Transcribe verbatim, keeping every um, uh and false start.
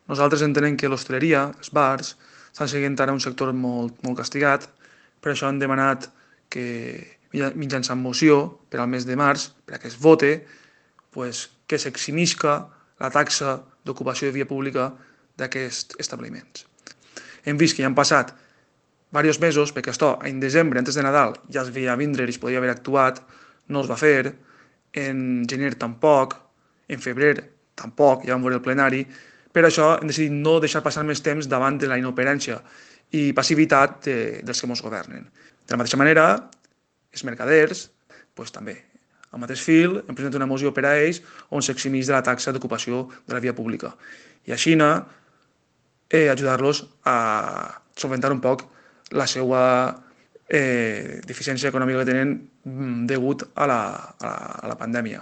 Nosaltres entenem que l'hostaleria, els bars, estan seguint ara un sector molt, molt castigat, per això han demanat que mitjançant moció per al mes de març, per a que es vote, pues, que s'eximisca la taxa d'ocupació de via pública d'aquests establiments. Hem vist que ja han passat diversos mesos, perquè això en desembre, antes de Nadal, ja es veia vindre i es podia haver actuat, no es va fer, en gener tampoc, en febrer tampoc, ja vam veure el plenari, per això hem decidit no deixar passar més temps davant de la inoperància i passivitat de, dels que ens governen. De la mateixa manera, els mercaders, pues, també, al mateix fil, hem presentat una moció per a ells on s'eximís de la taxa d'ocupació de la via pública. I així eh, ajudar-los a solventar un poc la seva eh, deficiència econòmica que tenen degut a la, a la, a la pandèmia.